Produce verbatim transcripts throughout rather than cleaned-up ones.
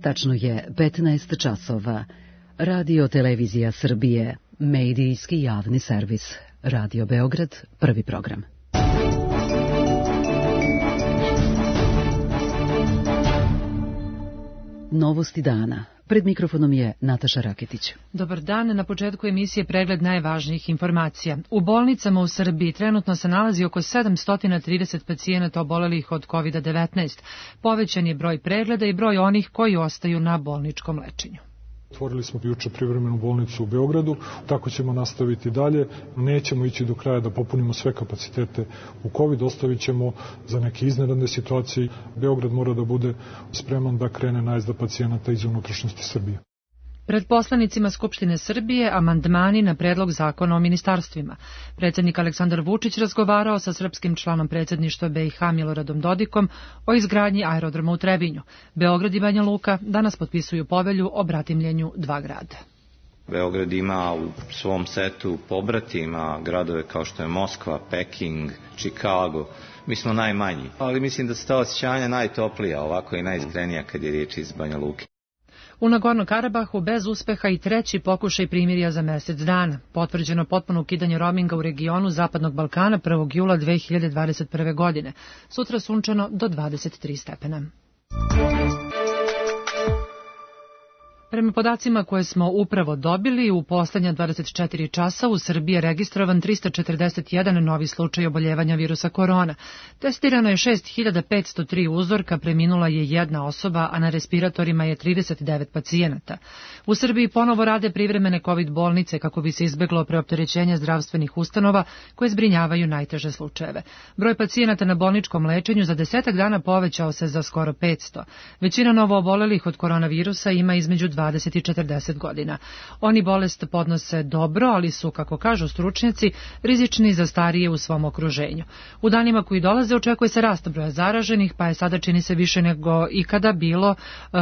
Tačno je petnaest časova. Radio Televizija Srbije, medijski javni servis. Radio Beograd, prvi program. Novosti dana. Pred mikrofonom je Nataša Raketić. Dobar dan, na početku emisije pregled najvažnijih informacija. U bolnicama u Srbiji trenutno se nalazi oko sedamsto trideset pacijenata obolelih od kovid devetnaest. Povećan je broj pregleda i broj onih koji ostaju na bolničkom lečenju. Otvorili smo juče privremenu bolnicu u Beogradu, tako ćemo nastaviti dalje. Nećemo ići do kraja da popunimo sve kapacitete u COVID, ostavit ćemo za neke iznenadne situacije. Beograd mora da bude spreman da krene najezda pacijenata iz unutrašnjosti Srbije. Pred poslanicima Skupštine Srbije amandmani na predlog zakona o ministarstvima. Predsjednik Aleksandar Vučić razgovarao sa srpskim članom predsjedništva B i H Miloradom Dodikom o izgradnji aerodroma u Trebinju. Beograd i Banja Luka danas potpisuju povelju o bratimljenju dva grada. Beograd ima u svom setu pobratima gradove kao što je Moskva, Peking, Chicago. Mi smo najmanji, ali mislim da su ta osjećanja najtoplija, ovako i najiskrenija kad je riječ iz Banja Luke. U Nagorno Karabahu bez uspeha i treći pokušaj primirja za mjesec dana. Potvrđeno potpuno ukidanje roaminga u regionu Zapadnog Balkana prvog jula dve hiljade dvadeset prve. godine. Sutra sunčano do dvadeset tri stepena. Prema podacima koje smo upravo dobili, u poslednja dvadeset četiri časa u Srbiji je registrovan tristo četrdeset jedan novi slučaj oboljevanja virusa korona. Testirano je šest hiljada petsto tri uzorka, preminula je jedna osoba, a na respiratorima je trideset devet pacijenata. U Srbiji ponovo rade privremene COVID bolnice kako bi se izbeglo preopterećenje zdravstvenih ustanova koje zbrinjavaju najteže slučajeve. Broj pacijenata na bolničkom lečenju za desetak dana povećao se za skoro petsto. Većina novo obolelih od koronavirusa ima između dvadeset i četrdeset godina. Oni bolest podnose dobro, ali su, kako kažu stručnjaci, rizični za starije u svom okruženju. U danima koji dolaze očekuje se rast broja zaraženih, pa je sada čini se više nego ikada bilo uh,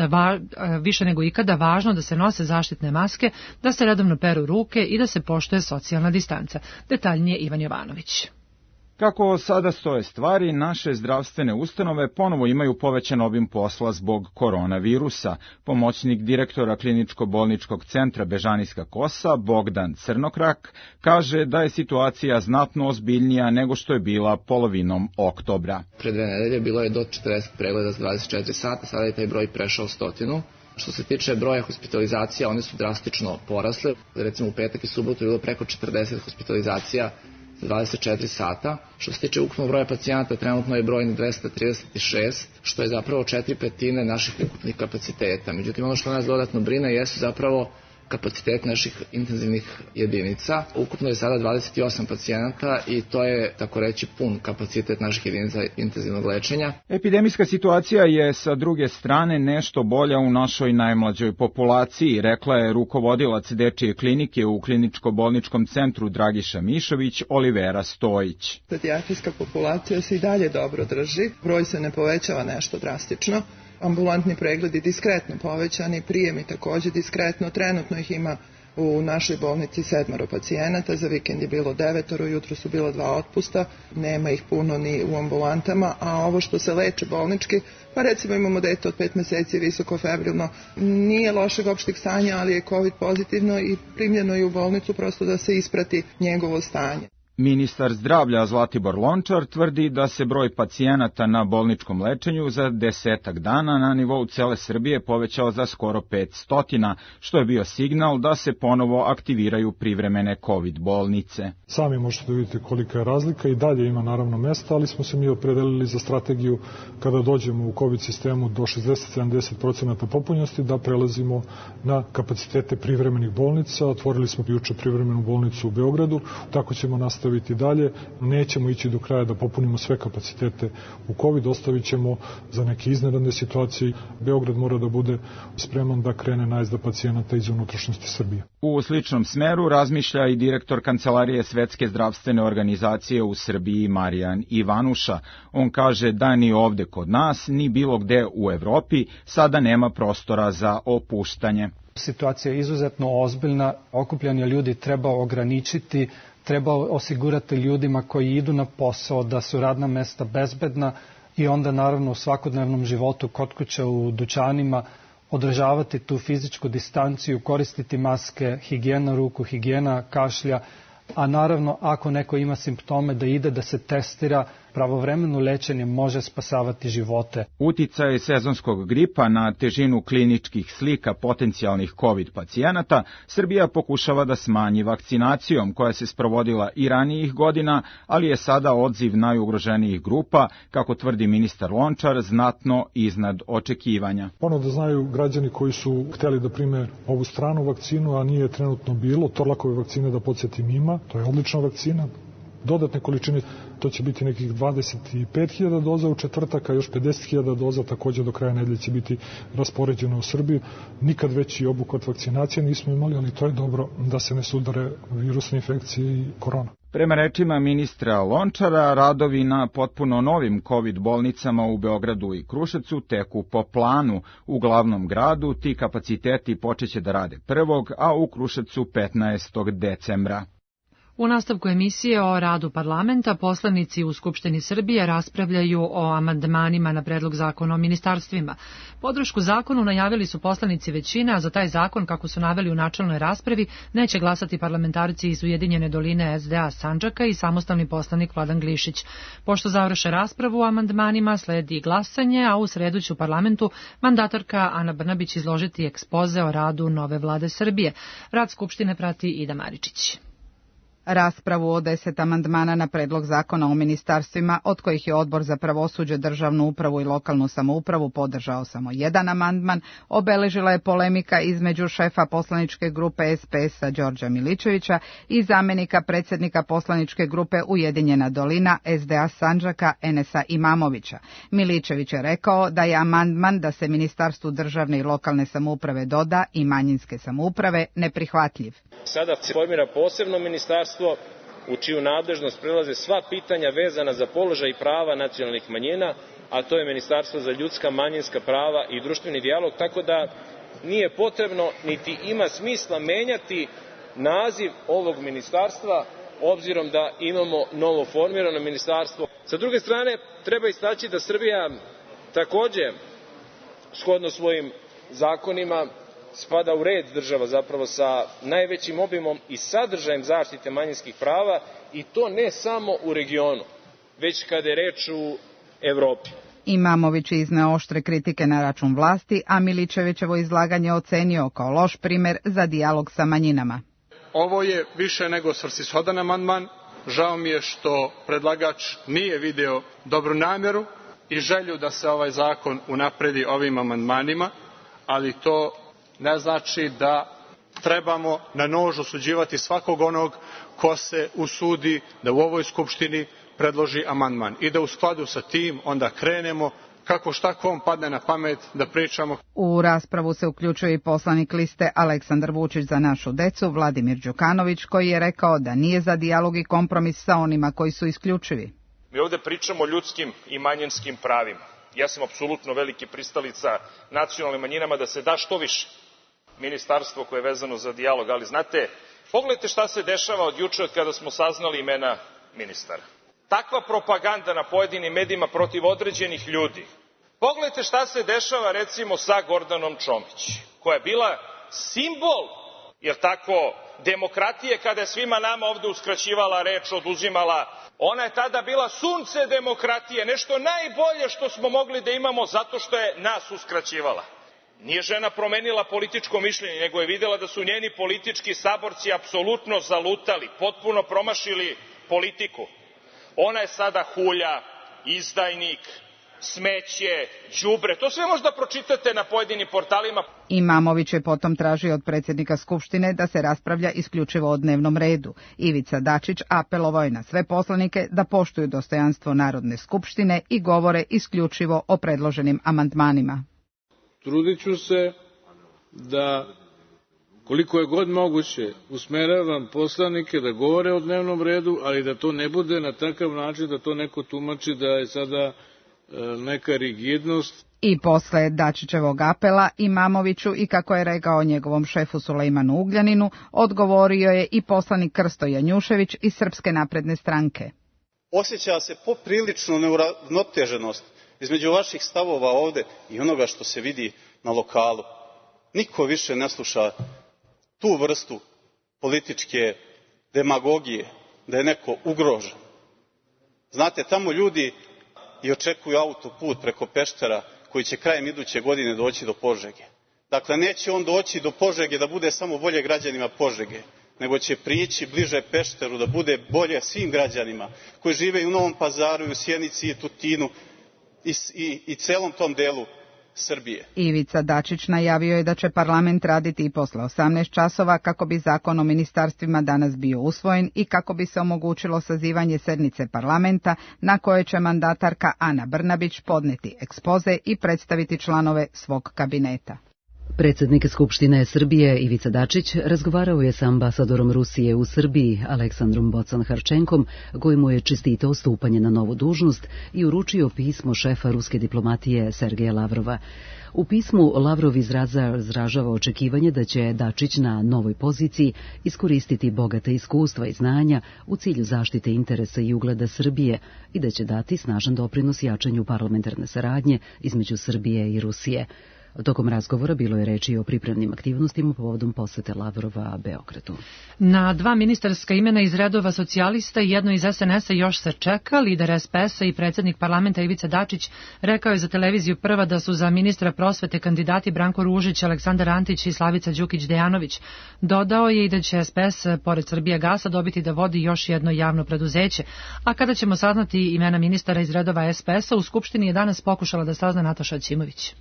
va, uh, više nego ikada važno da se nose zaštitne maske, da se redovno peru ruke i da se poštuje socijalna distanca. Detaljnije Ivan Jovanović. Kako sada stoje stvari, naše zdravstvene ustanove ponovo imaju povećan obim posla zbog koronavirusa. Pomoćnik direktora kliničko-bolničkog centra Bežanijska Kosa, Bogdan Crnokrak, kaže da je situacija znatno ozbiljnija nego što je bila polovinom oktobra. Pre dve nedelje bilo je do četrdeset pregleda za dvadeset četiri sata, sada je taj broj prešao stotinu. Što se tiče broja hospitalizacija, one su drastično porasle. Recimo u petak i subotu je bilo preko četrdeset hospitalizacija dvadeset četiri sata. Što se tiče ukupnog broja pacijenata, trenutno je broj dvesta trideset šest, što je zapravo četiri petine naših ukupnih kapaciteta. Međutim, ono što nas dodatno brine jesu zapravo kapacitet naših intenzivnih jedinica. Ukupno je sada dvadeset osam pacijenata i to je, tako reći, pun kapacitet naših jedinica intenzivnog lečenja. Epidemijska situacija je sa druge strane nešto bolja u našoj najmlađoj populaciji, rekla je rukovodilac dečije klinike u kliničko-bolničkom centru Dragiša Mišović, Olivera Stojić. Pedijatrijska populacija se i dalje dobro drži, broj se ne povećava nešto drastično. Ambulantni pregledi diskretno povećani, prijemi također diskretno, trenutno ih ima u našoj bolnici sedmoro pacijenata, za vikend je bilo devetoro, jutro su bila dva otpusta, nema ih puno ni u ambulantama, a ovo što se leče bolnički, pa recimo imamo dete od pet meseci visoko febrilno, nije lošeg opšteg stanja, ali je COVID pozitivno i primljeno je u bolnicu prosto da se isprati njegovo stanje. Ministar zdravlja Zlatibor Lončar tvrdi da se broj pacijenata na bolničkom lečenju za desetak dana na nivou cele Srbije povećao za skoro petsto, što je bio signal da se ponovo aktiviraju privremene COVID bolnice. Sami možete vidjeti kolika je razlika i dalje ima naravno mesta, ali smo se mi opredelili za strategiju kada dođemo u COVID sistemu do šezdeset do sedamdeset procenata popunjenosti da prelazimo na kapacitete privremenih bolnica. Otvorili smo juče privremenu bolnicu u Beogradu, tako ćemo nastaviti dalje, nećemo ići do kraja da popunimo sve kapacitete u COVID, ostavit ćemo za neke iznenadne situacije. Beograd mora da bude spreman da krene najezda pacijenata iz unutrašnjosti Srbije. U sličnom smeru razmišlja i direktor Kancelarije Svetske zdravstvene organizacije u Srbiji Marijan Ivanuša. On kaže da ni ovde kod nas, ni bilo gde u Evropi sada nema prostora za opuštanje. Situacija je izuzetno ozbiljna, okupljanje ljudi treba ograničiti, treba osigurati ljudima koji idu na posao da su radna mesta bezbedna i onda naravno u svakodnevnom životu kod kuće, u dućanima, održavati tu fizičku distanciju, koristiti maske, higijena ruku, higijena kašlja, a naravno ako neko ima simptome da ide da se testira, pravovremeno lečenje može spasavati živote. Uticaj sezonskog gripa na težinu kliničkih slika potencijalnih COVID pacijenata Srbija pokušava da smanji vakcinacijom koja se sprovodila i ranijih godina, ali je sada odziv najugroženijih grupa, kako tvrdi ministar Lončar, znatno iznad očekivanja. Ono da znaju građani koji su hteli da prime ovu stranu vakcinu, a nije trenutno bilo, Torlakove vakcine da podsjetim ima, to je odlična vakcina. Dodatne količine, to će biti nekih dvadeset pet hiljada doza u četvrtak, a još pedeset hiljada doza takođe do kraja nedelje će biti raspoređeno u Srbiju. Nikad veći obuhvat vakcinacije nismo imali, ali to je dobro da se ne sudare virusne infekcije i korona. Prema rečima ministra Lončara, radovi na potpuno novim COVID bolnicama u Beogradu i Kruševcu teku po planu. U glavnom gradu ti kapaciteti počeće da rade prvog, a u Kruševcu petnaestog decembra. U nastavku emisije o radu parlamenta poslanici u Skupštini Srbije raspravljaju o amandmanima na predlog zakona o ministarstvima. Podršku zakonu najavili su poslanici većine, a za taj zakon, kako su naveli u načelnoj raspravi, neće glasati parlamentarci iz Ujedinjene doline S D A Sandžaka i samostalni poslanik Vladan Glišić. Pošto završe raspravu o amandmanima, sledi glasanje, a u sredu će u parlamentu mandatarka Ana Brnabić izložiti ekspoze o radu nove vlade Srbije. Rad Skupštine prati Ida Maričić. Raspravu o deset amandmana na predlog zakona o ministarstvima, od kojih je Odbor za pravosuđe, državnu upravu i lokalnu samoupravu podržao samo jedan amandman, obeležila je polemika između šefa poslaničke grupe S P S-a Đorđa Miličevića i zamenika predsjednika poslaničke grupe Ujedinjena dolina S D A Sandžaka Enesa Imamovića. Miličević je rekao da je amandman da se Ministarstvu državne i lokalne samouprave doda i manjinske samouprave neprihvatljiv. Sada se formira posebno ministarstvo u čiju nadležnost prelaze sva pitanja vezana za položaj i prava nacionalnih manjina, a to je Ministarstvo za ljudska, manjinska prava i društveni dijalog, tako da nije potrebno niti ima smisla menjati naziv ovog ministarstva, obzirom da imamo novo formirano ministarstvo. Sa druge strane, treba istaći da Srbija takođe, shodno svojim zakonima, spada u red država zapravo sa najvećim obimom i sadržajem zaštite manjinskih prava, i to ne samo u regionu, već kada je reč u Evropi. Imamović izneo oštre kritike na račun vlasti, a Miličevićevo izlaganje ocenio kao loš primer za dijalog sa manjinama. Ovo je više nego svrsishodan amandman. Žao mi je što predlagač nije video dobru namjeru i želju da se ovaj zakon unapredi ovim amandmanima, ali to ne znači da trebamo na nož osuđivati svakog onog ko se usudi da u ovoj Skupštini predloži amandman i da u skladu sa tim onda krenemo kako šta kom padne na pamet da pričamo. U raspravu se uključuje i poslanik liste Aleksandar Vučić za našu decu, Vladimir Đukanović, koji je rekao da nije za dijalog i kompromis sa onima koji su isključivi. Mi ovde pričamo o ljudskim i manjinskim pravima. Ja sam apsolutno veliki pristalica nacionalnim manjinama da se da što više ministarstvo koje je vezano za dijalog, ali znate, pogledajte šta se dešava od juče od kada smo saznali imena ministara. Takva propaganda na pojedinim medijima protiv određenih ljudi. Pogledajte šta se dešava recimo sa Gordanom Čomić, koja je bila simbol, jer tako, demokratije, kada je svima nama ovde uskraćivala reč, oduzimala. Ona je tada bila sunce demokratije, nešto najbolje što smo mogli da imamo zato što je nas uskraćivala. Nije žena promenila političko mišljenje, nego je videla da su njeni politički saborci apsolutno zalutali, potpuno promašili politiku. Ona je sada hulja, izdajnik, smeće, đubre. To sve možda pročitate na pojedinim portalima. Imamović je potom tražio od predsjednika Skupštine da se raspravlja isključivo o dnevnom redu. Ivica Dačić apelovao je na sve poslanike da poštuju dostojanstvo Narodne skupštine i govore isključivo o predloženim amandmanima. Trudit ću se da, koliko je god moguće, usmeravam poslanike da govore o dnevnom redu, ali da to ne bude na takav način da to neko tumači da je sada e, neka rigidnost. I posle Dačićevog apela Imamoviću i, kako je rekao njegovom šefu Sulejmanu Ugljaninu, odgovorio je i poslanik Krsto Janjušević iz Srpske napredne stranke. Osjeća se poprilično neuravnoteženost između vaših stavova ovde i onoga što se vidi na lokalu. Niko više ne sluša tu vrstu političke demagogije, da je neko ugrožen. Znate, tamo ljudi i očekuju autoput preko Peštera koji će krajem iduće godine doći do Požege. Dakle, neće on doći do Požege da bude samo bolje građanima Požege, nego će prići bliže Pešteru da bude bolje svim građanima koji žive i u Novom Pazaru, i u Sjenici, i Tutinu i, i, i celom tom delu Srbije. Ivica Dačić najavio je da će parlament raditi i posle osamnaest časova kako bi zakon o ministarstvima danas bio usvojen i kako bi se omogućilo sazivanje sednice parlamenta na kojoj će mandatarka Ana Brnabić podneti ekspoze i predstaviti članove svog kabineta. Predsjednik Skupštine Srbije Ivica Dačić razgovarao je sa ambasadorom Rusije u Srbiji Aleksandrom Bocan-Harčenkom, koji mu je čestitao stupanje na novu dužnost i uručio pismo šefa ruske diplomatije Sergeja Lavrova. U pismu Lavrov izražava očekivanje da će Dačić na novoj poziciji iskoristiti bogate iskustva i znanja u cilju zaštite interesa i ugleda Srbije i da će dati snažan doprinos jačanju parlamentarne saradnje između Srbije i Rusije. Tokom razgovora bilo je reči o pripremnim aktivnostima povodom posete Lavrova Beogradu. Na dva ministarska imena iz redova socijalista i jedno iz es en es a još se čeka. Lider es pe es a i predsjednik parlamenta Ivica Dačić rekao je za televiziju Prva da su za ministra prosvete kandidati Branko Ružić, Aleksandar Antić i Slavica Đukić-Dejanović. Dodao je i da će es pe es, pored Srbijagasa, dobiti da vodi još jedno javno preduzeće. A kada ćemo saznati imena ministara iz redova es pe es a, u Skupštini je danas pokušala da sazna Nataša Aćimović.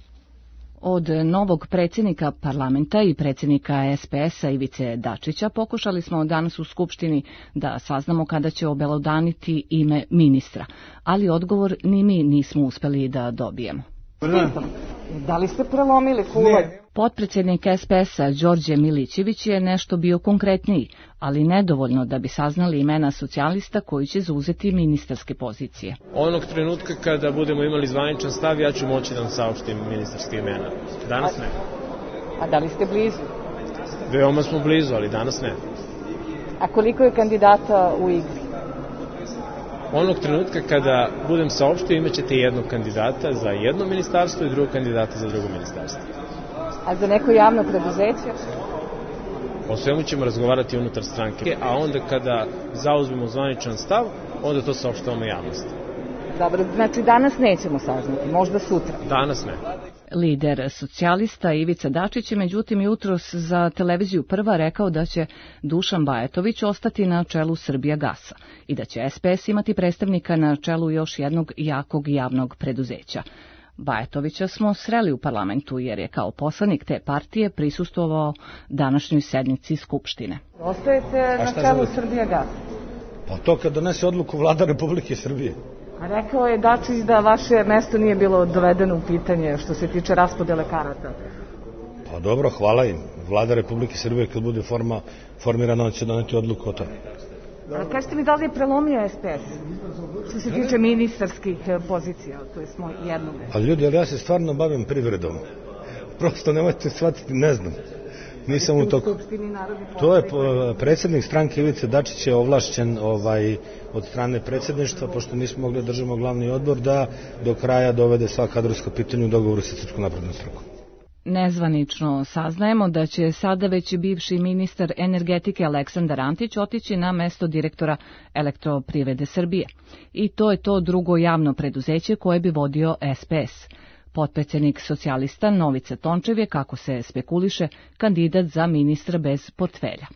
Od novog predsjednika parlamenta i predsjednika es pe es a Ivice Dačića pokušali smo danas u Skupštini da saznamo kada će obelodaniti ime ministra, ali odgovor ni mi nismo uspeli da dobijemo. Da li ste prelomili kuvanj? Potpredsjednik es pe es a Đorđe Milićević je nešto bio konkretniji, ali nedovoljno da bi saznali imena socijalista koji će zauzeti ministarske pozicije. Onog trenutka kada budemo imali zvaničan stav, ja ću moći da vam saopštim ministarske imena. Danas ne. A da li ste blizu? Veoma smo blizu, ali danas ne. A koliko je kandidata u igri? Onog trenutka kada budem saopštio, imat ćete jednog kandidata za jedno ministarstvo i drugog kandidata za drugo ministarstvo. A za neko javno preduzeće? O svemu ćemo razgovarati unutar stranke, a onda kada zauzmemo zvaničan stav, onda to saopštavamo javnosti. Dobro, znači danas nećemo saznati, možda sutra. Danas ne. Lider socijalista Ivica Dačić je međutim jutros za televiziju Prva rekao da će Dušan Bajatović ostati na čelu Srbijagasa i da će es pe es imati predstavnika na čelu još jednog jakog javnog preduzeća. Bajatovića smo sreli u parlamentu jer je kao poslanik te partije prisustvovao današnjoj sednici Skupštine. Ostajete na čelu Srbijagasa? Pa to kad donese odluku Vlada Republike Srbije. A rekao je Dačić da vaše mesto nije bilo dovedeno u pitanje što se tiče raspodele karata. Pa dobro, hvala im. Vlada Republike Srbije kad bude forma, formirana će doneti odluku o tome. A kažete mi da li je prelomio es pe es što se tiče ministarskih pozicija, to je smo jednog. A ljudi, ali ja se stvarno bavim privredom. Prosto nemojte shvatiti, ne znam. Nisam u toku. To je predsjednik stranke Ivice Dačić je ovlašćen ovaj, od strane predsjedništva, pošto nismo mogli da držimo glavni odbor, da do kraja dovede sva kadrovska pitanja u dogovoru sa Srpskom naprednom strankom. Nezvanično saznajemo da će sada već bivši ministar energetike Aleksandar Antić otići na mesto direktora Elektroprivrede Srbije. I to je to drugo javno preduzeće koje bi vodio es pe es. Potpredsjednik socijalista Novica Tončev je, kako se spekuliše, kandidat za ministra bez portfelja.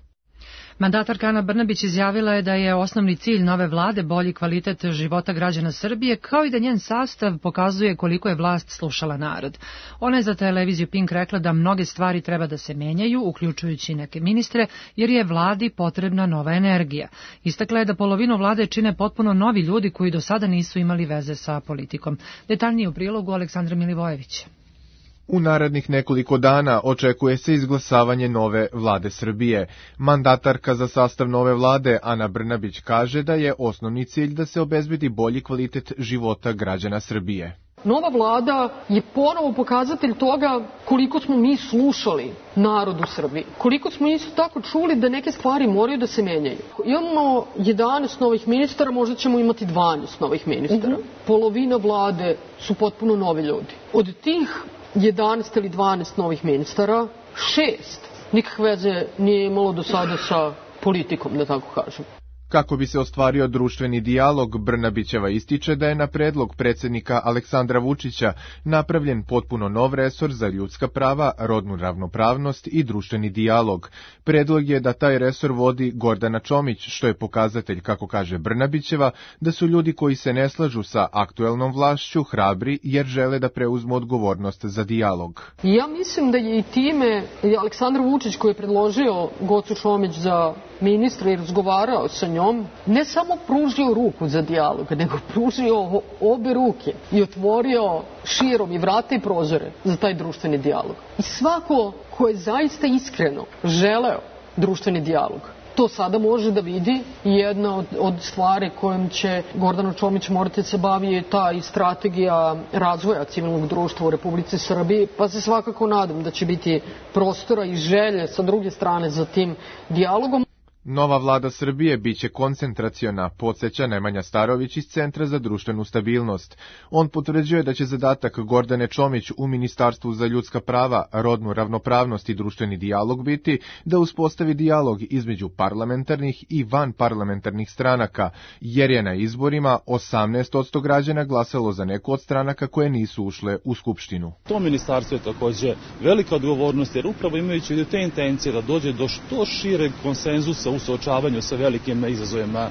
Mandatarka Ana Brnabić izjavila je da je osnovni cilj nove vlade bolji kvalitet života građana Srbije, kao i da njen sastav pokazuje koliko je vlast slušala narod. Ona je za televiziju Pink rekla da mnoge stvari treba da se menjaju, uključujući neke ministre, jer je vladi potrebna nova energija. Istakla je da polovinu vlade čine potpuno novi ljudi koji do sada nisu imali veze sa politikom. Detaljnije u prilogu Aleksandra Milivojević. U narednih nekoliko dana očekuje se izglasavanje nove vlade Srbije. Mandatarka za sastav nove vlade Ana Brnabić kaže da je osnovni cilj da se obezbedi bolji kvalitet života građana Srbije. Nova vlada je ponovo pokazatelj toga koliko smo mi slušali narod u Srbiji. Koliko smo isto tako čuli da neke stvari moraju da se menjaju. Imamo jedanaest novih ministara, možda ćemo imati dvanaest novih ministara. Mm-hmm. Polovina vlade su potpuno novi ljudi. Od tih jedanaest ili dvanaest novih ministara, šest nikakve veze nije imalo do sada sa politikom, da tako kažem. Kako bi se ostvario društveni dijalog, Brnabićeva ističe da je na predlog predsjednika Aleksandra Vučića napravljen potpuno nov resor za ljudska prava, rodnu ravnopravnost i društveni dijalog. Predlog je da taj resor vodi Gordana Čomić, što je pokazatelj, kako kaže Brnabićeva, da su ljudi koji se ne slažu sa aktuelnom vlašću hrabri jer žele da preuzmu odgovornost za dijalog. Ja mislim da je i time Aleksandar Vučić, koji je predložio Gocu Čomić za ministra i razgovarao sa njom, ne samo pružio ruku za dijalog, nego pružio obe ruke i otvorio širom i vrata i prozore za taj društveni dijalog. I svako ko je zaista iskreno želeo društveni dijalog, to sada može da vidi. Jedna od, od stvari kojom će Gordana Čomić morati se bavi je ta i strategija razvoja civilnog društva u Republici Srbiji, pa se svakako nadam da će biti prostora i želje sa druge strane za tim dijalogom. Nova vlada Srbije biće koncentraciona, podsjeća Nemanja Starović iz Centra za društvenu stabilnost. On potvrđuje da će zadatak Gordane Čomić u Ministarstvu za ljudska prava, rodnu ravnopravnost i društveni dijalog biti da uspostavi dijalog između parlamentarnih i vanparlamentarnih stranaka, jer je na izborima osamnaest posto građana glasalo za neku od stranaka koje nisu ušle u Skupštinu. To ministarstvo je takođe velika odgovornost, jer upravo imajući te intencije da dođe do što šireg konsenzusa u suočavanju sa velikim izazovima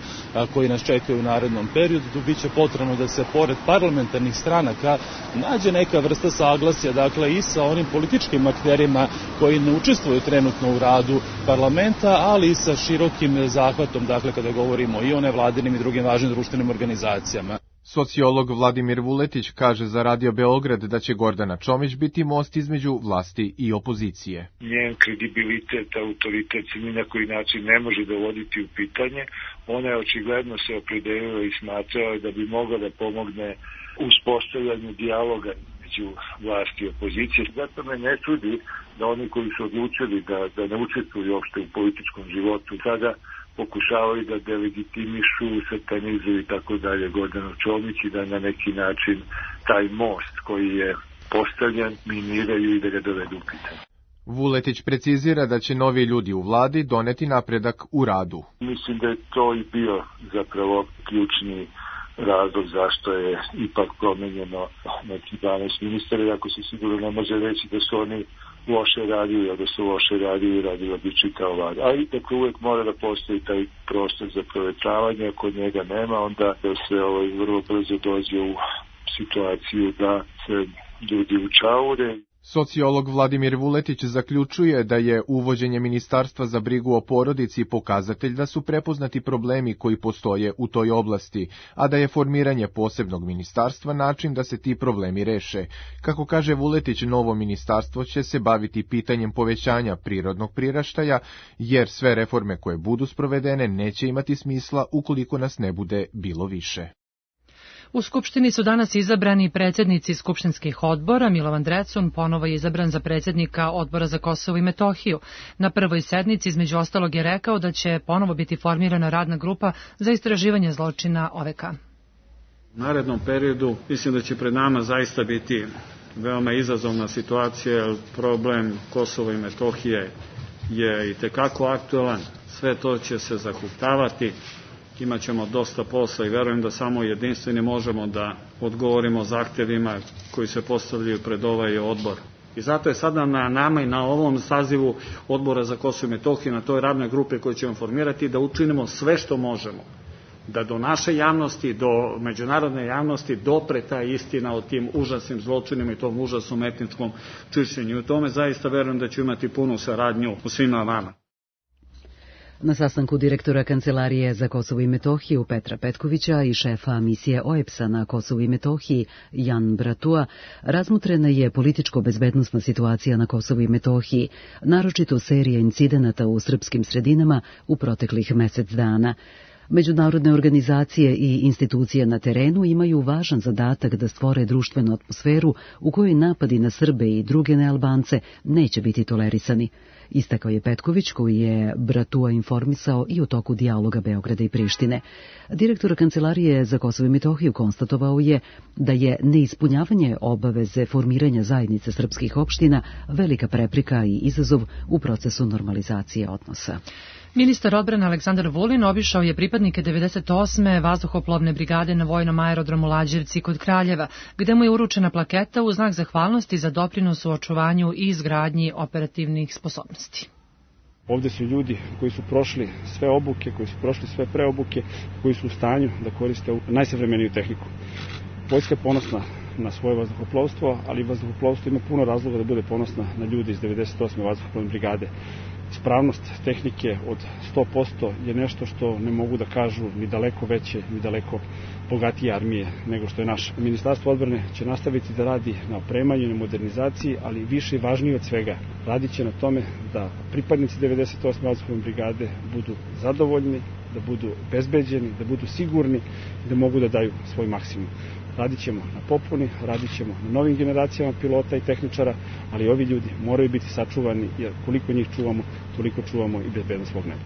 koji nas čekaju u narednom periodu, biće potrebno da se pored parlamentarnih stranaka nađe neka vrsta saglasja, dakle i sa onim političkim akterima koji ne učestvuju trenutno u radu parlamenta, ali i sa širokim zahvatom, dakle kada govorimo i o nevladinim i drugim važnim društvenim organizacijama. Sociolog Vladimir Vuletić kaže za Radio Beograd da će Gordana Čomić biti most između vlasti i opozicije. Njen kredibilitet, autoritet se ni na koji način ne može dovoditi u pitanje. Ona je očigledno se opredelila i smatrala da bi mogla da pomogne uspostavljanju dijaloga između vlasti i opozicije. Zato me ne čudi da oni koji su odlučili da, da ne učestvuju uopšte u političkom životu sada pokušavaju da delegitimišu, satanizuju i tako dalje Gordanu Čomić i da na neki način taj most koji je postavljen miniraju i da ga dovedu u pitanje. Vuletić precizira da će novi ljudi u vladi doneti napredak u radu. Mislim da je to i bio zapravo ključni razlog zašto je ipak promenjeno neki dvanaest ministara, iako se sigurno ne može reći da su oni loše radili, a da su loše radili i radila bi čitao vlada. Ali dakle uvek mora da postoji taj prostor za provetravanje, ako njega nema, onda da se ovaj, vrlo brzo dođe u situaciju da se ljudi učaure. Sociolog Vladimir Vuletić zaključuje da je uvođenje Ministarstva za brigu o porodici pokazatelj da su prepoznati problemi koji postoje u toj oblasti, a da je formiranje posebnog ministarstva način da se ti problemi reše. Kako kaže Vuletić, novo ministarstvo će se baviti pitanjem povećanja prirodnog priraštaja, jer sve reforme koje budu sprovedene neće imati smisla ukoliko nas ne bude bilo više. U Skupštini su danas izabrani predsjednici skupštinskih odbora. Milovan Drecun ponovo je izabran za predsjednika Odbora za Kosovo i Metohiju. Na prvoj sednici, između ostalog, je rekao da će ponovo biti formirana radna grupa za istraživanje zločina O V K. U narednom periodu mislim da će pred nama zaista biti veoma izazovna situacija, jer problem Kosova i Metohije je i tekako aktualan. Sve to će se zahuktavati. Imaćemo dosta posla i verujem da samo jedinstveni možemo da odgovorimo zahtevima koji se postavljaju pred ovaj odbor. I zato je sada na nama i na ovom sazivu Odbora za Kosovo i Metohiju, na toj radnoj grupi koju ćemo formirati, da učinimo sve što možemo, da do naše javnosti, do međunarodne javnosti dopre ta istina o tim užasnim zločinima i tom užasnom etničkom čišćenju. I u tome zaista verujem da ću imati punu saradnju u svima vama. Na sastanku direktora Kancelarije za Kosovo i Metohiju Petra Petkovića i šefa misije O E P S-a na Kosovu i Metohiji Jan Bratua razmotrena je političko-bezbednosna situacija na Kosovu i Metohiji, naročito serija incidenata u srpskim sredinama u proteklih mesec dana. Međunarodne organizacije i institucije na terenu imaju važan zadatak da stvore društvenu atmosferu u kojoj napadi na Srbe i druge nealbance neće biti tolerisani. Istakao je Petković, koji je Bratua informisao i o toku dijaloga Beograda i Prištine. Direktor Kancelarije za Kosovo i Metohiju konstatovao je da je neispunjavanje obaveze formiranja zajednice srpskih opština velika prepreka i izazov u procesu normalizacije odnosa. Ministar odbrane Aleksandar Vulin obišao je pripadnike devedeset osme vazduhoplovne brigade na vojnom aerodromu Lađevci kod Kraljeva, gde mu je uručena plaketa u znak zahvalnosti za doprinos u očuvanju i izgradnji operativnih sposobnosti. Ovde su ljudi koji su prošli sve obuke, koji su prošli sve preobuke, koji su u stanju da koriste najsavremeniju tehniku. Vojska je ponosna na svoje vazduhoplovstvo, ali vazduhoplovstvo ima puno razloga da bude ponosna na ljudi iz devedeset osme vazduhoplovne brigade. Ispravnost tehnike od sto posto je nešto što ne mogu da kažu ni daleko veće, ni daleko bogatije armije nego što je naša. Ministarstvo odbrane će nastaviti da radi na opremanju, na modernizaciji, ali više i važnije od svega. Radit će na tome da pripadnici devedeset osme vazduhoplovne brigade budu zadovoljni, da budu bezbeđeni, da budu sigurni i da mogu da daju svoj maksimum. Radit ćemo na popuni, radit ćemo na novim generacijama pilota i tehničara, ali ovi ljudi moraju biti sačuvani, jer koliko njih čuvamo, toliko čuvamo i bezbednost svog neba.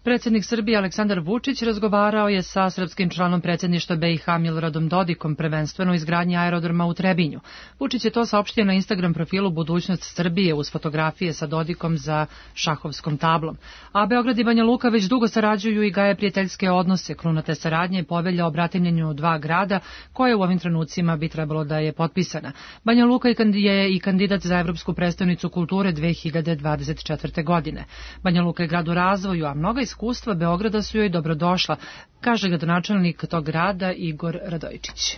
Predsjednik Srbije Aleksandar Vučić razgovarao je sa srpskim članom predsjedništva B i H Miloradom Dodikom, prvenstveno u izgradnji aerodroma u Trebinju. Vučić je to saopštio na Instagram profilu Budućnost Srbije uz fotografije sa Dodikom za šahovskom tablom. A Beograd i Banja Luka već dugo sarađuju i gaje prijateljske odnose. Kruna te saradnje je povelja o bratimljenju dva grada, koje u ovim trenucima bi trebalo da je potpisana. Banja Luka je i kandidat za Evropsku prestonicu kulture dve hiljade dvadeset četvrte. godine. Banja Luka je grad u razvoju, a mnoga iskustva Beograda su joj dobrodošla, kaže gradonačelnik tog grada Igor Radojičić.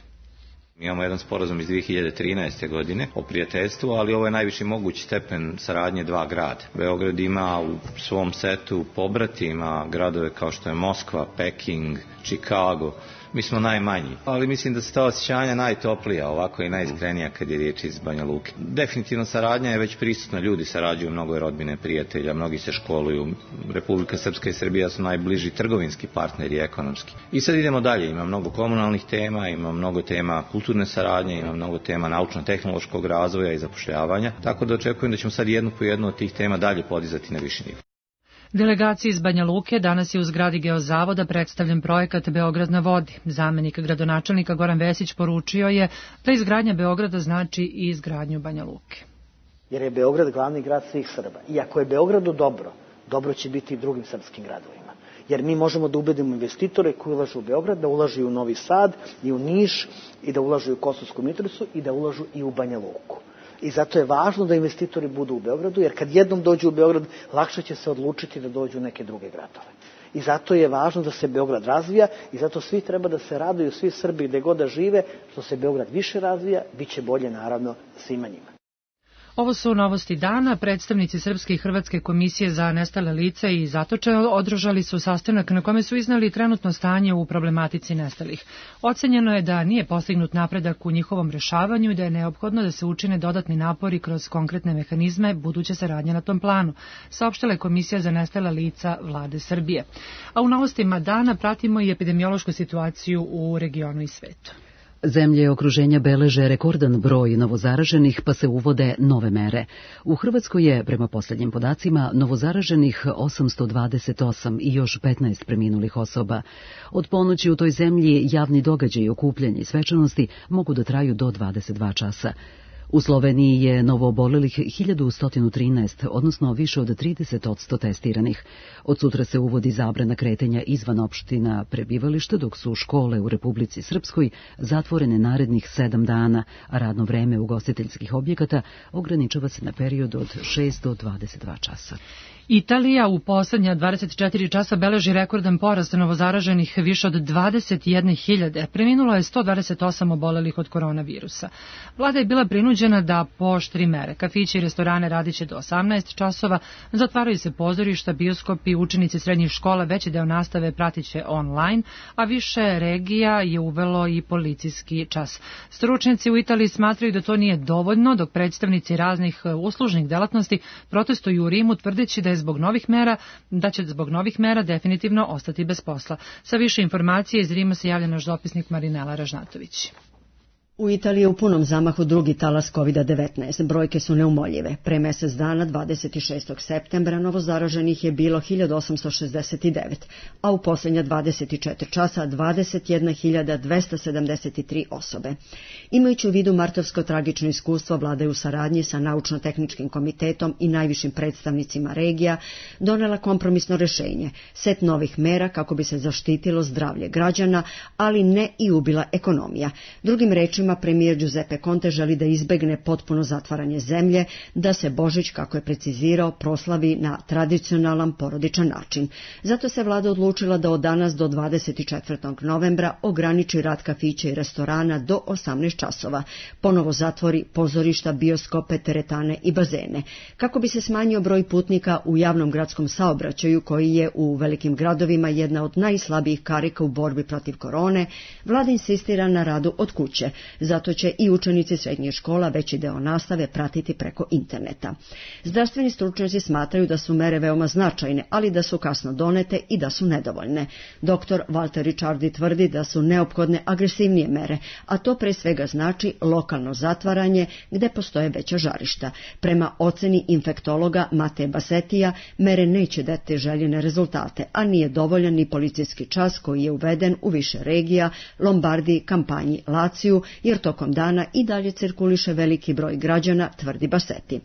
Mi imamo jedan sporazum iz dve hiljade trinaeste. godine o prijateljstvu, ali ovo je najviši mogući stepen saradnje dva grada. Beograd ima u svom setu pobratima gradove kao što je Moskva, Peking, Chicago. Mi smo najmanji, ali mislim da su ta osjećanja najtoplija, ovako i najiskrenija kad je riječ iz Banja Luke. Definitivno saradnja je već prisutna, ljudi sarađuju, mnogo je rodbine, prijatelja, mnogi se školuju. Republika Srpska i Srbija su najbliži trgovinski partneri ekonomski. I sad idemo dalje, ima mnogo komunalnih tema, ima mnogo tema kulturne saradnje, ima mnogo tema naučno-tehnološkog razvoja i zapošljavanja, tako da očekujem da ćemo sad jednu po jednu od tih tema dalje podizati na viši nivo. Delegaciji iz Banja Luke danas je u zgradi Geozavoda predstavljen projekat Beograd na vodi. Zamenik gradonačelnika Goran Vesić poručio je da izgradnja Beograda znači i izgradnju Banja Luke. Jer je Beograd glavni grad svih Srba. I ako je Beogradu dobro, dobro će biti i drugim srpskim gradovima. Jer mi možemo da ubedimo investitore koji ulažu u Beograd, da ulažu i u Novi Sad, i u Niš, i da ulažu i u Kosovsku Mitrovicu, i da ulažu i u Banja Luku. I zato je važno da investitori budu u Beogradu, jer kad jednom dođu u Beograd, lakše će se odlučiti da dođu u neke druge gradove. I zato je važno da se Beograd razvija i zato svi treba da se raduju, svi Srbi gde god da žive, što se Beograd više razvija, bit će bolje naravno svima njima. Ovo su novosti dana. Predstavnici Srpske i Hrvatske komisije za nestale lica i zatočene održali su sastanak na kome su iznali trenutno stanje u problematici nestalih. Ocenjeno je da nije postignut napredak u njihovom rešavanju i da je neophodno da se učine dodatni napori kroz konkretne mehanizme buduće saradnje na tom planu, saopštila je Komisija za nestala lica Vlade Srbije. A u novostima dana pratimo i epidemiološku situaciju u regionu i svetu. Zemlje okruženja beleže rekordan broj novozaraženih, pa se uvode nove mere. U Hrvatskoj je, prema posljednjim podacima, novozaraženih osamsto dvadeset osam i još petnaest preminulih osoba. Od ponoći u toj zemlji javni događaji, okupljanje i svečanosti mogu da traju do dvadeset dva časa. U Sloveniji je novoobolelih hiljadu sto trinaest, odnosno više od trideset odsto testiranih. Od sutra se uvodi zabrana kretanja izvan opština prebivališta, dok su škole u Republici Srpskoj zatvorene narednih sedam dana, a radno vreme ugostiteljskih objekata ograničava se na period od šest do dvadeset dva časa. Italija u poslednja dvadeset četiri časa beleži rekordan porast novozaraženih više od dvadeset jedne hiljade. Preminulo je sto dvadeset osam obolelih od koronavirusa. Vlada je bila prinuđena da pooštri mere. Kafići i restorane radiće do osamnaest časova, zatvaraju se pozorišta, bioskopi, učenici srednjih škola veći deo nastave pratiće online, a više regija je uvelo i policijski čas. Stručnjaci u Italiji smatraju da to nije dovoljno, dok predstavnici raznih uslužnih delatnosti protestuju u Rimu tvrdeći da je je zbog novih mera, da će zbog novih mera definitivno ostati bez posla. Sa više informacije iz Rima se javlja naš dopisnik Marinela Ražnatović. U Italiji je u punom zamahu drugi talas kovid devetnaest. Brojke su neumoljive. Pre mesec dana, dvadeset šestog septembra, novozaraženih je bilo hiljadu osamsto šezdeset devet, a u posljednja dvadeset četiri časa dvadeset jedna hiljada dvesta sedamdeset tri osobe. Imajući u vidu martovsko tragično iskustvo, vlada je u saradnji sa Naučno-tehničkim komitetom i najvišim predstavnicima regija donela kompromisno rešenje, set novih mera kako bi se zaštitilo zdravlje građana, ali ne i ubila ekonomija. Drugim rečima, premijer Giuseppe Conte želi da izbegne potpuno zatvaranje zemlje, da se Božić, kako je precizirao, proslavi na tradicionalan porodičan način. Zato se vlada odlučila da od danas do dvadeset četvrtog novembra ograniči rad kafića i restorana do osamnaest časova, ponovo zatvori pozorišta, bioskope, teretane i bazene. Kako bi se smanjio broj putnika u javnom gradskom saobraćaju, koji je u velikim gradovima jedna od najslabijih karika u borbi protiv korone, vlada insistira na radu od kuće. Zato će i učenici srednjih škola veći deo nastave pratiti preko interneta. Zdravstveni stručnjaci smatraju da su mere veoma značajne, ali da su kasno donete i da su nedovoljne. Doktor Walter Ricciardi tvrdi da su neophodne agresivnije mere, a to pre svega znači lokalno zatvaranje gde postoje veća žarišta. Prema oceni infektologa Mate Basetija, mere neće dati željene rezultate, a nije dovoljan ni policijski čas koji je uveden u više regija, Lombardiji, Kampanji, Laciju, jer tokom dana i dalje cirkuliše veliki broj građana, tvrdi Baseti.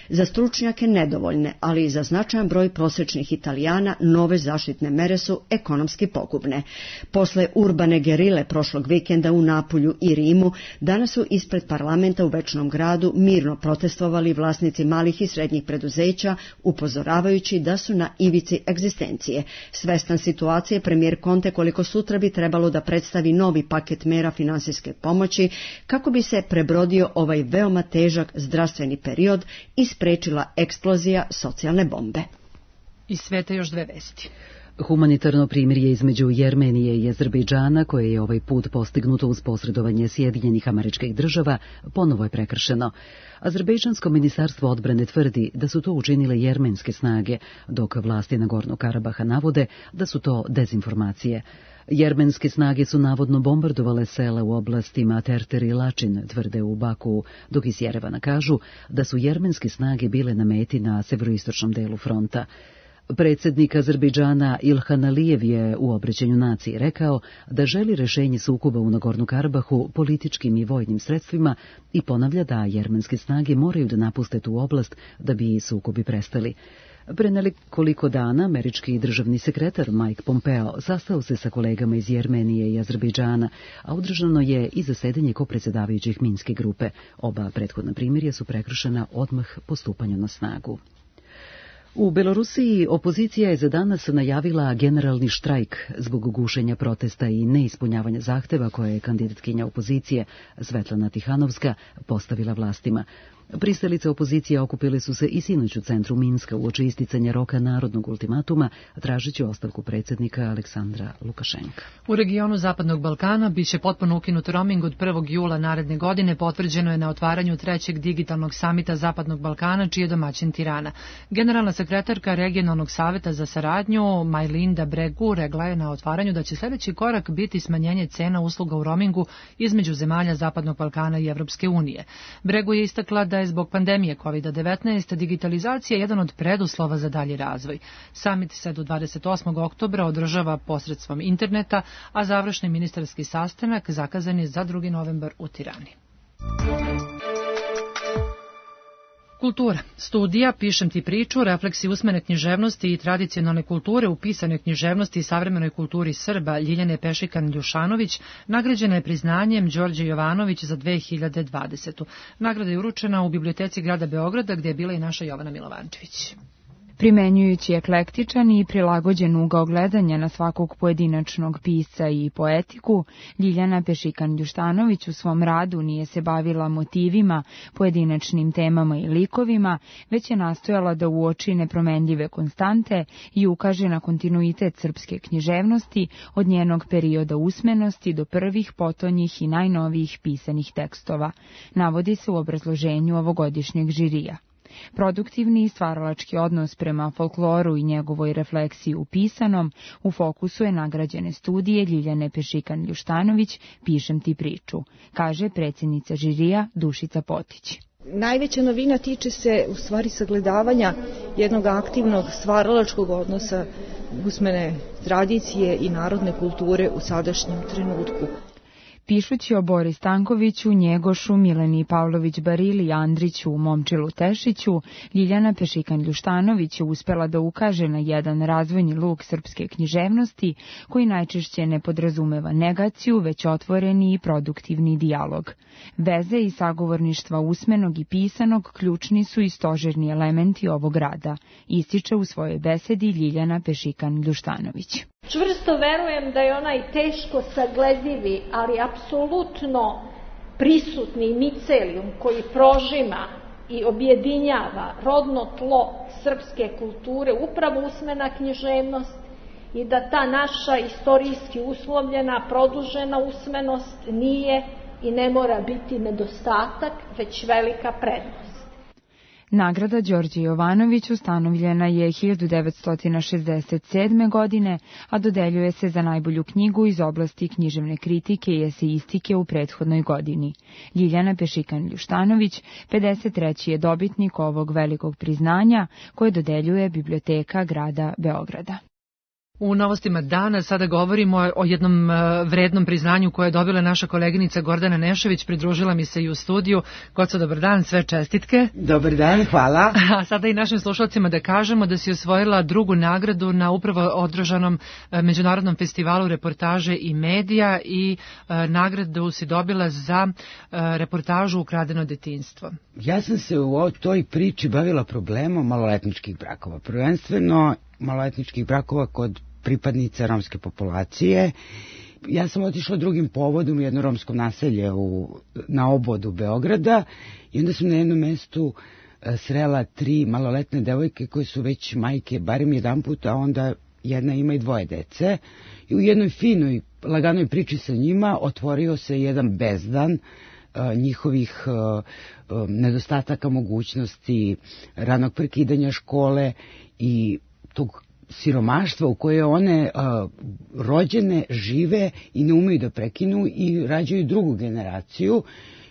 Za stručnjake nedovoljne, ali i za značajan broj prosječnih Italijana nove zaštitne mere su ekonomski pogubne. Posle urbane gerile prošlog vikenda u Napulju i Rimu, danas su ispred parlamenta u Večnom gradu mirno protestovali vlasnici malih i srednjih preduzeća, upozoravajući da su na ivici egzistencije. Svestan situacije, premijer Conte koliko sutra bi trebalo da predstavi novi paket mera finansijske pomoći kako bi se prebrodio ovaj veoma težak zdravstveni period i sprečila eksplozija socijalne bombe. Iz sveta još dve vesti. Humanitarno primirje između Jermenije i Azerbejdžana, koje je ovaj put postignuto uz posredovanje Sjedinjenih Američkih Država, ponovo je prekršeno. Azerbejdžansko ministarstvo odbrane tvrdi da su to učinile jermenske snage, dok vlasti Nagornog Karabaha navode da su to dezinformacije. Jermenske snage su navodno bombardovale sela u oblastima Terter i Lačin, tvrde u Baku, dok iz Jerevana kažu da su jermenske snage bile na meti na severoistočnom delu fronta. Predsjednik Azerbejdžana Ilhan Alijev je u obraćanju naciji rekao da želi rešenje sukoba u Nagornom Karabahu političkim i vojnim sredstvima i ponavlja da jermenske snage moraju da napuste tu oblast da bi sukobi prestali. Pre nekoliko dana američki državni sekretar Mike Pompeo sastao se sa kolegama iz Jermenije i Azerbejdžana, a održano je i zasedanje kopredsjedavajućih Minske grupe. Oba prethodna primirja su prekršena odmah po stupanju na snagu. U Belorusiji opozicija je za danas najavila generalni štrajk zbog gušenja protesta i neispunjavanja zahteva koje je kandidatkinja opozicije Svetlana Tihanovska postavila vlastima. Pristalice opozicije okupile su se i sinoć u centru Minska uoči isticanja roka narodnog ultimatuma, tražeći ostavku predsjednika Aleksandra Lukašenka. U regionu Zapadnog Balkana biće potpuno ukinut roaming od prvog jula naredne godine, potvrđeno je na otvaranju trećeg digitalnog samita Zapadnog Balkana, čiji je domaćin Tirana. Generalna sekretarka Regionalnog saveta za saradnju Majlinda Bregu rekla je na otvaranju da će sljedeći korak biti smanjenje cena usluga u roamingu između zemalja Zapadnog Balkana i Evropske unije. Bregu je istakla da je zbog pandemije kovid devetnaest digitalizacija jedan od preduslova za dalji razvoj. Samit se do dvadeset osmog oktobra održava posredstvom interneta, a završni ministarski sastanak zakazan je za drugi novembar u Tirani. Kultura. Studija Pišem ti priču, refleksi usmene književnosti i tradicionalne kulture u pisanoj književnosti i savremenoj kulturi Srba Ljiljane Pešikan-Ljušanović nagrađena je priznanjem Đorđe Jovanović za dve hiljade dvadesetu. Nagrada je uručena u Biblioteci grada Beograda, gde je bila i naša Jovana Milovančević. Primenjujući eklektičan i prilagođen ugao gledanja na svakog pojedinačnog pisca i poetiku, Ljiljana Pešikan-Ljuštanović u svom radu nije se bavila motivima, pojedinačnim temama i likovima, već je nastojala da uoči nepromenljive konstante i ukaže na kontinuitet srpske književnosti od njenog perioda usmenosti do prvih potonjih i najnovijih pisanih tekstova, navodi se u obrazloženju ovogodišnjeg žirija. Produktivni i stvaralački odnos prema folkloru i njegovoj refleksiji u pisanom u fokusu je nagrađene studije Ljiljane Pešikan-Ljuštanović Pišem ti priču, kaže predsjednica žirija Dušica Potić. Najveća novina tiče se u stvari sagledavanja jednog aktivnog stvaralačkog odnosa usmene tradicije i narodne kulture u sadašnjem trenutku. Pišući o Bori Stankoviću, Njegošu, Mileni Pavlović-Barili, Andriću, Momčilu Tešiću, Ljiljana Pešikan-Ljuštanović je uspela da ukaže na jedan razvojni luk srpske književnosti koji najčešće ne podrazumeva negaciju, već otvoreni i produktivni dijalog. Veze i sagovorništva usmenog i pisanog ključni su i stožerni elementi ovog rada, ističe u svojoj besedi Ljiljana Pešikan-Ljuštanović. Čvrsto verujem da je onaj teško sagledivi, ali apsolutno prisutni micelijum koji prožima i objedinjava rodno tlo srpske kulture upravo usmena književnost i da ta naša istorijski uslovljena, produžena usmenost nije i ne mora biti nedostatak, već velika prednost. Nagrada Đorđe Jovanović ustanovljena je hiljadu devetsto šezdeset sedme. godine, a dodeljuje se za najbolju knjigu iz oblasti književne kritike i esejistike u prethodnoj godini. Ljiljana Pešikan-Ljuštanović, pedeset treći je dobitnik ovog velikog priznanja koje dodeljuje Biblioteka grada Beograda. U novostima dana sada govorimo o jednom vrednom priznanju koje je dobila naša koleginica Gordana Nešević, pridružila mi se i u studiju. Goco, dobar dan, sve čestitke. Dobar dan, hvala. A sada i našim slušalcima da kažemo da si osvojila drugu nagradu na upravo održanom Međunarodnom festivalu reportaže i medija i nagradu si dobila za reportažu Ukradeno detinjstvo. Ja sam se u toj priči bavila problemom maloletničkih brakova, prvenstveno maloletničkih brakova kod pripadnica romske populacije. Ja sam otišla drugim povodom u jedno romsko naselje u, na obodu Beograda i onda sam na jednom mestu srela tri maloletne devojke koje su već majke barem jedan put, a onda jedna ima i dvoje dece. I u jednoj finoj, laganoj priči sa njima otvorio se jedan bezdan njihovih nedostataka mogućnosti, ranog prekidanja škole i tog siromaštva u koje one a, rođene žive i ne umeju da prekinu i rađaju drugu generaciju.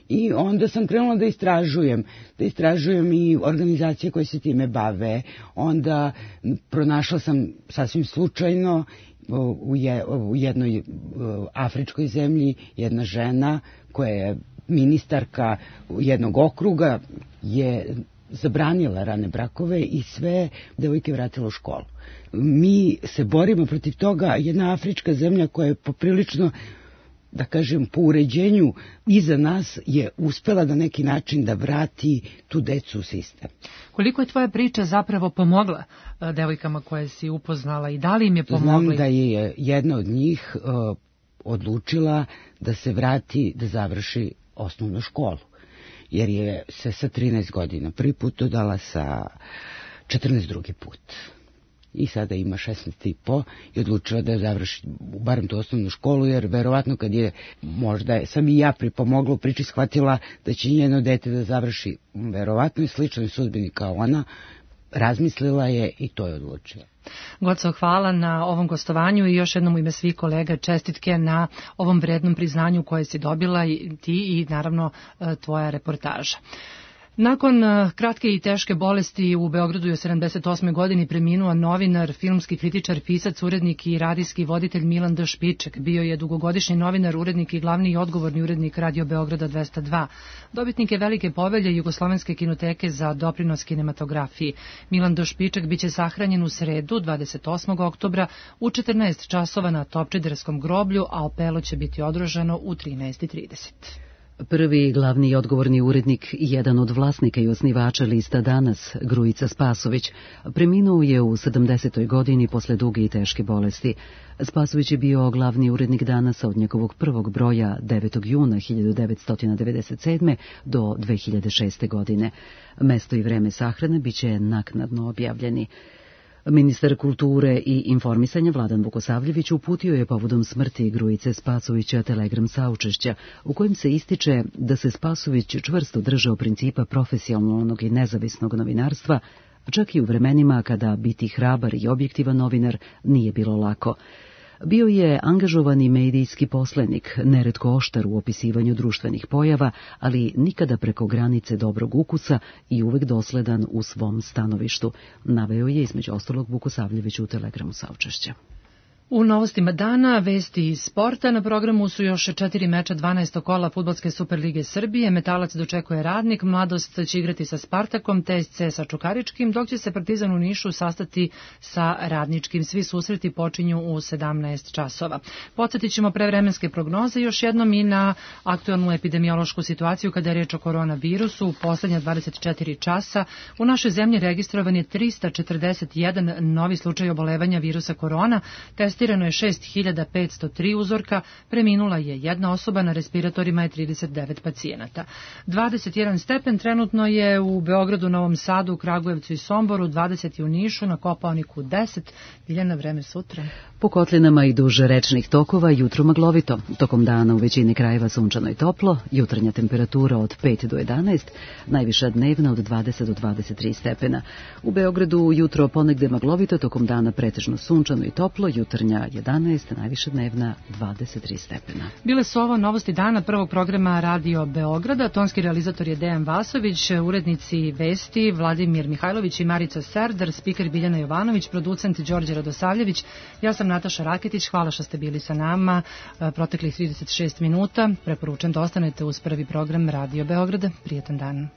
I onda sam krenula da istražujem, da istražujem i organizacije koje se time bave. Onda pronašla sam sasvim slučajno u, je, u jednoj afričkoj zemlji jedna žena koja je ministarka jednog okruga je zabranila rane brakove i sve devojke vratila u školu. Mi se borimo protiv toga, jedna afrička zemlja koja je poprilično, da kažem, po uređenju iza nas je uspela na neki način da vrati tu decu u sistem. Koliko je tvoja priča zapravo pomogla devojkama koje si upoznala i da li im je pomogla? Znam da je jedna od njih uh, odlučila da se vrati, da završi osnovnu školu. Jer je se sa trinaest godina prvi put dodala, sa četrnaest drugi put. I sada ima šesnaest i po i odlučila da završi barem tu osnovnu školu, jer verovatno kad je, možda je, sam i ja pripomogla u priči, shvatila da će njeno dete da završi verovatno i sličnoj sudbini kao ona, razmislila je i to je odlučila. Goco, hvala na ovom gostovanju i još jednom u ime svih kolega čestitke na ovom vrednom priznanju koje si dobila i ti i naravno tvoja reportaža. Nakon kratke i teške bolesti u Beogradu je u sedamdeset osmoj godini preminuo novinar, filmski kritičar, pisac, urednik i radijski voditelj Milan D. Špiček. Bio je dugogodišnji novinar, urednik i glavni i odgovorni urednik Radio Beograda dvesta dva. Dobitnik je velike povelje Jugoslovenske kinoteke za doprinos kinematografiji. Milan D. Špiček biće sahranjen u sredu, dvadeset osmog oktobra, u četrnaest časova na Topčiderskom groblju, a opelo će biti održano u trinaest i trideset. Prvi glavni i odgovorni urednik i jedan od vlasnika i osnivača lista Danas, Grujica Spasović, preminuo je u sedamdesetoj godini posle duge i teške bolesti. Spasović je bio glavni urednik Danasa od njegovog prvog broja devetog juna hiljadu devetsto devedeset sedme. do dve hiljade šeste. godine. Mesto i vreme sahrane biće naknadno objavljeni. Ministar kulture i informisanja Vladan Vukosavljević uputio je povodom smrti Grujice Spasovića telegram saučešća u kojem se ističe da se Spasović čvrsto držao principa profesionalnog i nezavisnog novinarstva, čak i u vremenima kada biti hrabar i objektivan novinar nije bilo lako. Bio je angažovani medijski poslenik, neretko oštar u opisivanju društvenih pojava, ali nikada preko granice dobrog ukusa i uvek dosledan u svom stanovištu, naveo je između ostalog Vukosavljević u telegramu saučešća. U novostima dana, vesti iz sporta, na programu su još četiri meča dvanaestog kola Fudbalske Superlige Srbije, Metalac dočekuje Radnik, Mladost će igrati sa Spartakom, T S C sa Čukaričkim, dok će se Partizan u Nišu sastati sa Radničkim. Svi susreti počinju u sedamnaest časova. Podsjetit ćemo prevremenske prognoze još jednom i na aktualnu epidemiološku situaciju kada je reč o koronavirusu. U poslednja dvadeset četiri časa u našoj zemlji registrovan je trista četrdeset jedan novi slučaj obolevanja virusa korona, testirano je šest hiljada petsto tri uzorka, preminula je jedna osoba, na respiratorima je trideset devet pacijenata. dvadeset jedan stepen trenutno je u Beogradu, Novom Sadu, Kragujevcu i Somboru, dvadeset u Nišu, na Kopaoniku deset. Biljana, vreme sutra. Po kotlinama i duže rečnih tokova jutro maglovito. Tokom dana u većini krajeva sunčano i toplo, jutarnja temperatura od pet do jedanaest, najviša dnevna od dvadeset do dvadeset tri stepena. U Beogradu jutro ponegde maglovito, tokom dana pretežno sunčano i toplo, jutarnja jedanaest, najviša dnevna dvadeset tri stepena. Bile su ovo novosti dana prvog programa Radio Beograda. Tonski realizator je Dejan Vasović, urednici vesti Vladimir Mihajlović i Marica Serdar, spiker Biljana Jovanović, producent Đorđe Radosavljević. Ja sam Nataša Raketić, hvala što ste bili sa nama proteklih trideset šest minuta. Preporučujem da ostanete uz prvi program Radio Beograda. Prijetan dan.